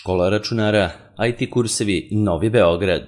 Škola računara, IT kursevi Novi Beograd.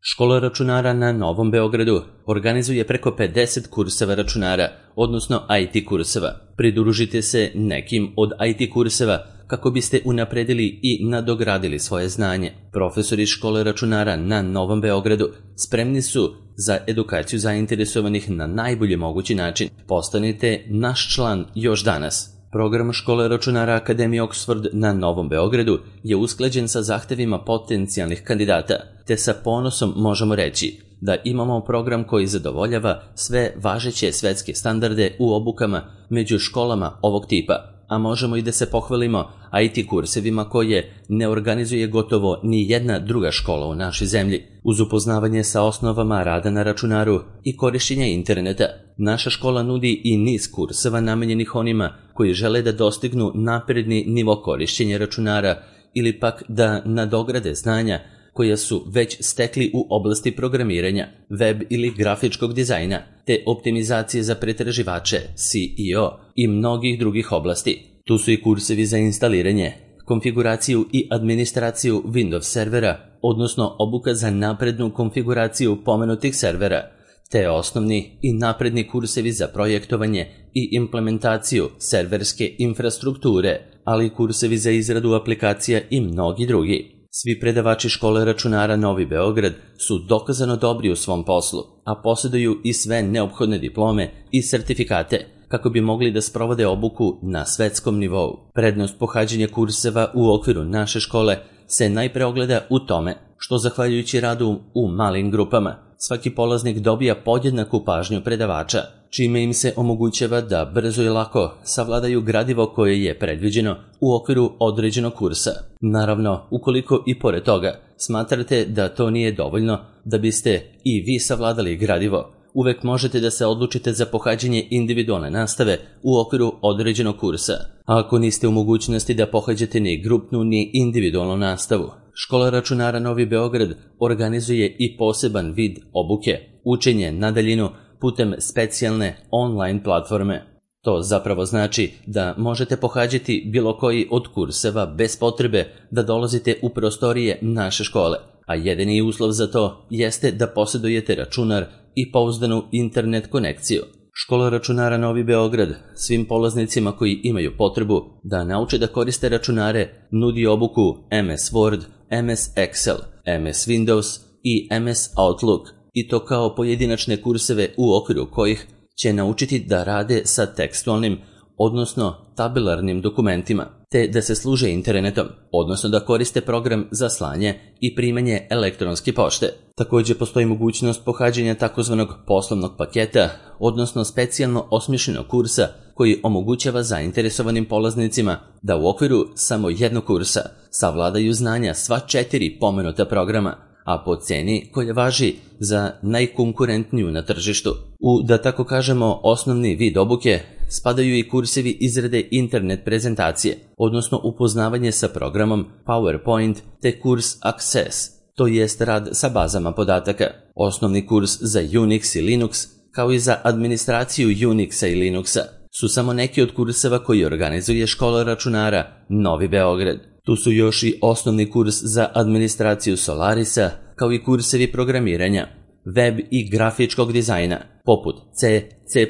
Škola računara na Novom Beogradu organizuje preko 50 kurseva računara, odnosno IT kurseva. Pridružite se nekim od IT kurseva kako biste unapredili i nadogradili svoje znanje. Profesori Škole računara na Novom Beogradu spremni su za edukaciju zainteresovanih na najbolji mogući način. Postanite naš član još danas. Program Škole računara Akademije Oxford na Novom Beogradu je usklađen sa zahtevima potencijalnih kandidata, te sa ponosom možemo reći da imamo program koji zadovoljava sve važeće svetske standarde u obukama među školama ovog tipa, a možemo i da se pohvalimo IT kursevima koje ne organizuje gotovo ni jedna druga škola u našoj zemlji. Uz upoznavanje sa osnovama rada na računaru i korišćenja interneta, naša škola nudi i niz kurseva namenjenih onima koji žele da dostignu napredni nivo korišćenja računara ili pak da nadograde znanja koja su već stekli u oblasti programiranja, web ili grafičkog dizajna, te optimizacije za pretraživače, SEO i mnogih drugih oblasti. Tu su i kursevi za instaliranje, konfiguraciju i administraciju Windows servera, odnosno obuka za naprednu konfiguraciju pomenutih servera, te osnovni i napredni kursevi za projektovanje i implementaciju serverske infrastrukture, ali i kursevi za izradu aplikacija i mnogi drugi. Svi predavači Škole računara Novi Beograd su dokazano dobri u svom poslu, a posjeduju i sve neophodne diplome i sertifikate kako bi mogli da sprovode obuku na svetskom nivou. Prednost pohađanja kurseva u okviru naše škole se najpre ogleda u tome što zahvaljujući radu u malim grupama, svaki polaznik dobija podjednaku pažnju predavača, čime im se omogućava da brzo i lako savladaju gradivo koje je predviđeno u okviru određenog kursa. Naravno, ukoliko i pored toga smatrate da to nije dovoljno da biste i vi savladali gradivo, uvek možete da se odlučite za pohađanje individualne nastave u okviru određenog kursa. A ako niste u mogućnosti da pohađate ni grupnu ni individualnu nastavu, Škola računara Novi Beograd organizuje i poseban vid obuke, učenje na daljinu putem specijalne online platforme. To zapravo znači da možete pohađati bilo koji od kurseva bez potrebe da dolazite u prostorije naše škole, a jedini uslov za to jeste da posjedujete računar i pouzdanu internet konekciju. Škola računara Novi Beograd svim polaznicima koji imaju potrebu da nauče da koriste računare nudi obuku MS Word, MS Excel, MS Windows i MS Outlook, i to kao pojedinačne kurseve u okviru kojih će naučiti da rade sa tekstualnim, odnosno tabelarnim dokumentima, te da se služe internetom, odnosno da koriste program za slanje i primanje elektronske pošte. Također postoji mogućnost pohađanja takozvanog poslovnog paketa, odnosno specijalno osmišljenog kursa koji omogućava zainteresovanim polaznicima da u okviru samo jednog kursa savladaju znanja sva 4 pomenuta programa, a po ceni koja važi za najkonkurentniju na tržištu. U, da tako kažemo, osnovni vid obuke spadaju i kursevi izrade internet prezentacije, odnosno upoznavanje sa programom PowerPoint, te kurs Access, to jest rad sa bazama podataka, osnovni kurs za Unix i Linux, kao i za administraciju Unixa i Linuxa, su samo neki od kurseva koji organizuje Škola računara Novi Beograd. Tu su još i osnovni kurs za administraciju Solarisa, kao i kursevi programiranja, web i grafičkog dizajna, poput C, C++,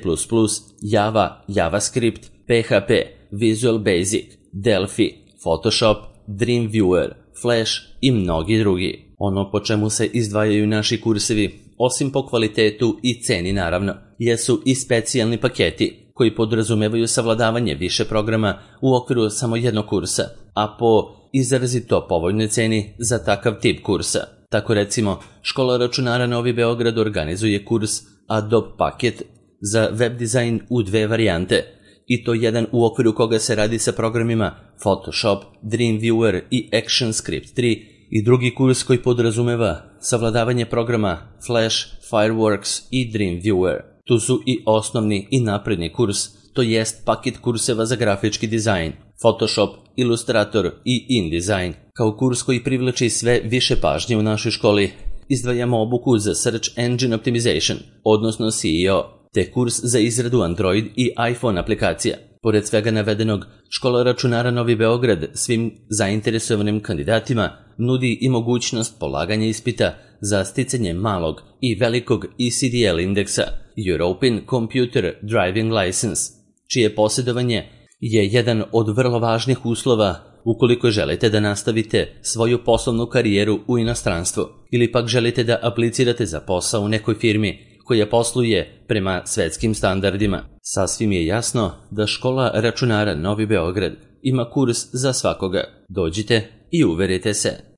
Java, JavaScript, PHP, Visual Basic, Delphi, Photoshop, Dreamweaver, Flash i mnogi drugi. Ono po čemu se izdvajaju naši kursevi, osim po kvalitetu i ceni naravno, jesu i specijalni paketi koji podrazumevaju savladavanje više programa u okviru samo jednog kursa, a po izrazito povoljnoj ceni za takav tip kursa. Tako recimo, Škola računara Novi Beograd organizuje kurs Adobe paket za web dizajn u 2 varijante, i to jedan u okviru koga se radi sa programima Photoshop, Dreamweaver i ActionScript 3, i drugi kurs koji podrazumeva savladavanje programa Flash, Fireworks i Dreamweaver. Tu su i osnovni i napredni kurs, to jest paket kurseva za grafički dizajn, Photoshop, Illustrator i InDesign. Kao kurs koji privlači sve više pažnje u našoj školi, izdvajamo obuku za Search Engine Optimization, odnosno SEO, te kurs za izradu Android i iPhone aplikacija. Pored svega navedenog, Škola računara Novi Beograd svim zainteresovanim kandidatima nudi i mogućnost polaganja ispita za sticanje malog i velikog ECDL indeksa, European Computer Driving License, čije posjedovanje je jedan od vrlo važnih uslova ukoliko želite da nastavite svoju poslovnu karijeru u inostranstvu ili pak želite da aplicirate za posao u nekoj firmi koja posluje prema svetskim standardima. Sasvim je jasno da Škola računara Novi Beograd ima kurs za svakoga. Dođite i uverite se.